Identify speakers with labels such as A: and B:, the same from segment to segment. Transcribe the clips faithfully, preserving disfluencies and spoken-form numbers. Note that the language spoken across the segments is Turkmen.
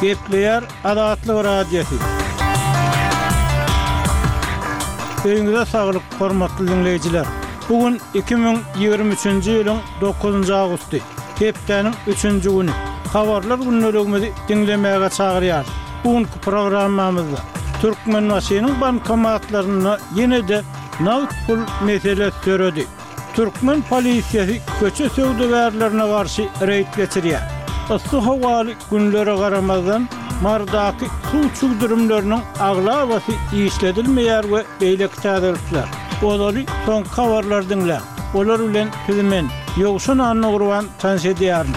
A: Gepleýär Azatlyk Radiosy. Öýüňize saglyk, hormatly diňleýjiler! Bu gün iki müň ýigrimi üçünji ýylyň dokuzynjy awgusty, hepdäniň üçünji güni. Habarlar gündeligimizi diňlemäge çagyrýarys. Bu günki programmamyzda Türkmenbaşynyň bankomatlarynda ýene-de nagt pul meselesi döredi. Türkmen polisiýasy köçe söwdagärlerine garşy reýd geçirýär. Yssy howaly günlere garamazdan, Marydaky suw çüwdürimleriniň aglabasy işledilmeýär we beýleki täzelikler. Ozaly soňky habarlary diňläň. Olar bilen sizi men, Ýowşan Annagurban tanyş edýärin.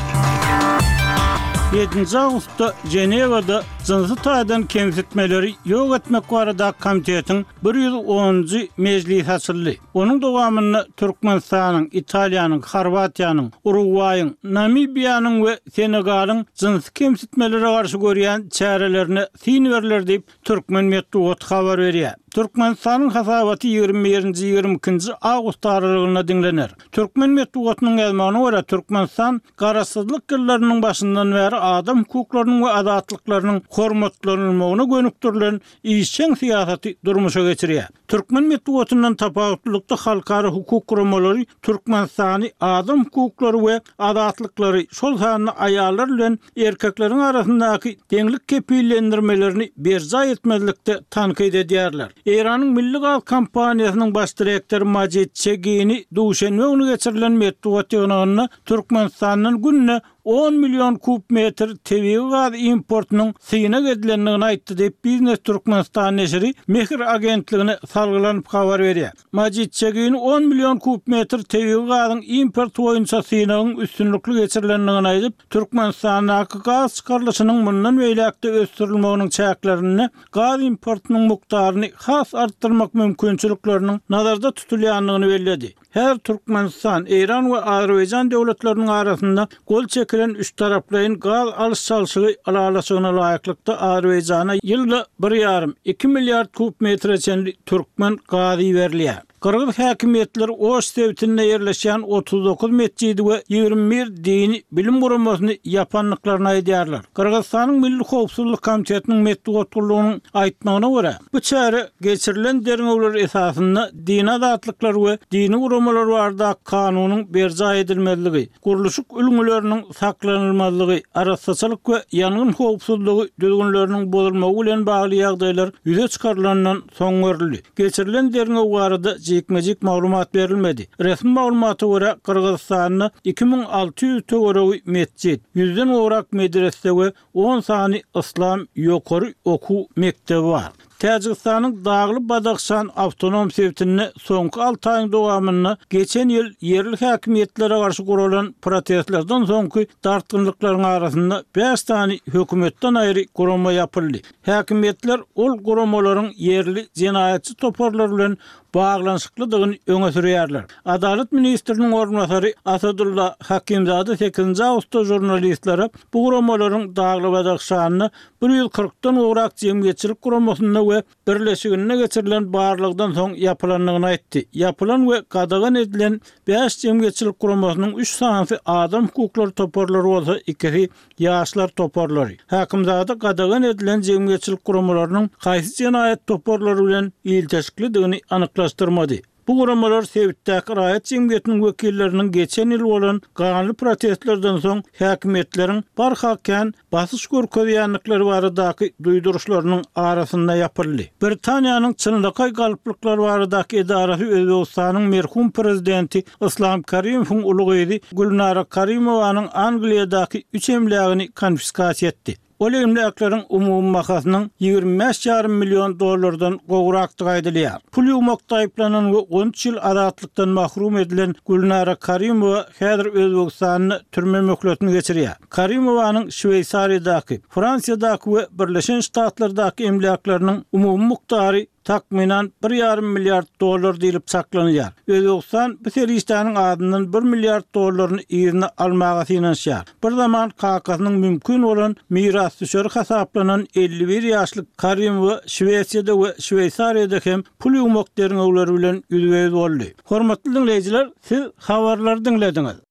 A: Ýedinji awgustda Ženewada jynsy taýdan kemsitmeleri ýok etmek baradaky komitetiň bir ýüz onunjy mejlisi açyldy. Onuň dowamynda Türkmenistanyň, Italiýanyň, Horwatiýanyň, Urugwaýyň, Namibiýanyň we Senegalyň jynsy kemsitmelere garşy görýän çärelerine syn berler diýip, türkmen metbugaty habar berýär. Türkmenistanyň hasabaty ýigrimi birinji, ýigrimi ikinji awgust aralygynda diňlener. Türkmen metbugatynyň ýazmagyna görä, Türkmenistan Garaşsyzlyk ýyllarynyň başyndan bäri adam hukuklarynyň we azatlyklarynyň hormatlanylmagyna gönükdirilen işjeň syýasaty durmuşa geçirýär. Türkmen metbugatyndan tapawutlylykda halkara hukuk guramalary Türkmenistany adam hukuklary we azatlyklary, şol sanda aýallar bilen erkekleriň arasyndaky deňlik kepillendirmelerini berjaý etmezlikde tankyt edýärler. Eýranyň Milli gaz kompaniýasynyň baş direktory Majid Çegini duşenbe güni geçirilen metbugat ýygnagynda Türkmenistandan günde on million kub metr tebigy gaz importynyň synag edilendigini aýtdy diýip, Biznes Türkmenistan neşiri Mehr agentligine salgylanyp habar berýär. Majid Çegini on million kub metr tebigy gazyň importy boýunça synagyň üstünlikli geçirilendigini aýdyp, Türkmenistandaky gaz çykarylyşynyň mundan beýläk-de ösdürilmeginiň çäklerinde gaz importynyň mukdaryny has artdyrmak mümkinçilikleriniň nazarda tutulýandygyny belledi. Häzir Türkmenistan, Eýran we Azerbaýjan döwletleriniň arasynda gol çekilen üçtaraplaýyn gaz alyş-çalşygy ylalaşygyna laýyklykda Azerbaýjana ýylda bir ýarym, iki milliard kub metre çenli türkmen gazy iberilýär. Gyrgyz häkimiýetleri Oş sebitinde ýerleşýän otuz dokuz metjidi we ýigrimi bir dini bilim guramasyny ýapandyklaryny aýdýarlar. Gyrgyzystanyň Milli howpsuzlyk komitetiniň metbugat gullugynyň aýtmagyna görä, bu çäre geçirilen derňewler esasynda dini azatlyklar we dini guramalar baradaky kanunyň berjaý edilmezligi, gurluşyk ülňüleriniň saklanylmazlygy, arassaçylyk we ýangyn howpsuzlygy düzgünleriniň bozulmagy bilen bagly ýagdaýlar ýüze çykarylandan soň görüldi. Geçirilen derňew barada jikme-jik maglumat berilmedi. Resmi maglumata görä, Gyrgyzystanda iki müň alty ýüz töweregi metjit, ýüzden gowrak medrese we on sany yslam ýokary okuw mekdebi bar. Täjigistanyň Dagly Badahşan awtonom sebitinde soňky alty aýyň dowamynda geçen ýyl ýerli häkimiýetlere garşy guralan protestlerden soňky dartgynlyklaryň arasynda bäş sany hökümetden aýry gurama ýapyldy. Häkimiýetler ol guramalaryň ýerli jenaýatçy toparlar bilen baglanyşyklydygyny öňe sürýärler. Adalat ministriniň orunbasary Asadulla Hakimzada sekizinji awgustda žurnalistlere bu guramalaryň Dagly-Badahşanda bir ýüz kyrkdan gowrak jemgyýetçilik guramasynda we birleşiginde geçirilen barlagdan soň ýapylandygyny aýtdy. Ýapylan we gadagan edilen bäş jemgyýetçilik guramasynyň üç sanysy adam hukuklary toparlary bolsa, ikisi ýaşlar toparlary. Hakimzada gadagan edilen jemgyýetçilik guramalarynyň haýsy jenaýat toparlary bilen ilteşiklidigini anyklaşdyrmady. Bu guramalar sebitdäki raýat jemgyýetiniň wekilleriniň geçen ýyl bolan ganly protestlerden soň häkimiýetleriň barha kän basyş görkezýändikleri baradaky duýduryşlarynyň arasynda ýapyldy. Britaniýanyň çynlakaý galplyklar baradaky edarasy Özbegistanyň merhum prezidenti Yslam Karimowyň uly gyzy Gülnara Karimowanyň Angliýadaky üç emlägini konfiskasiýa etdi. Ol emläkleriň umumy bahasynyň ýigrimi bäş ýarym million dollardan gowrakdygy aýdylýar. Pul ýuwmakda aýyplanan we on üç ýyl azatlykdan mahrum edilen Gülnara Karimowa häzir Özbegistanda türme möhletini geçirýär. Karimowanyň Şweýsariýadaky, Fransiýadaky we Birleşen Ştatlardaky emläkleriniň umumy mukdary takmynan bir ýarym milliard dollar diýlip çaklanylýar. Özbegistan bu serişdäniň azyndan bir milliard dollaryny yzyna almaga synanyşýar. Bir zaman kakasynyň mümkin bolan mirasdüşeri hasaplanan elli bir ýaşly Karimowa Şwesiýada we Şweýsariýada hem pul ýuwmak derňewleri bilen ýüzbe-ýüz boldy. Hormatly diňleýjiler, siz habarlary diňlediňiz.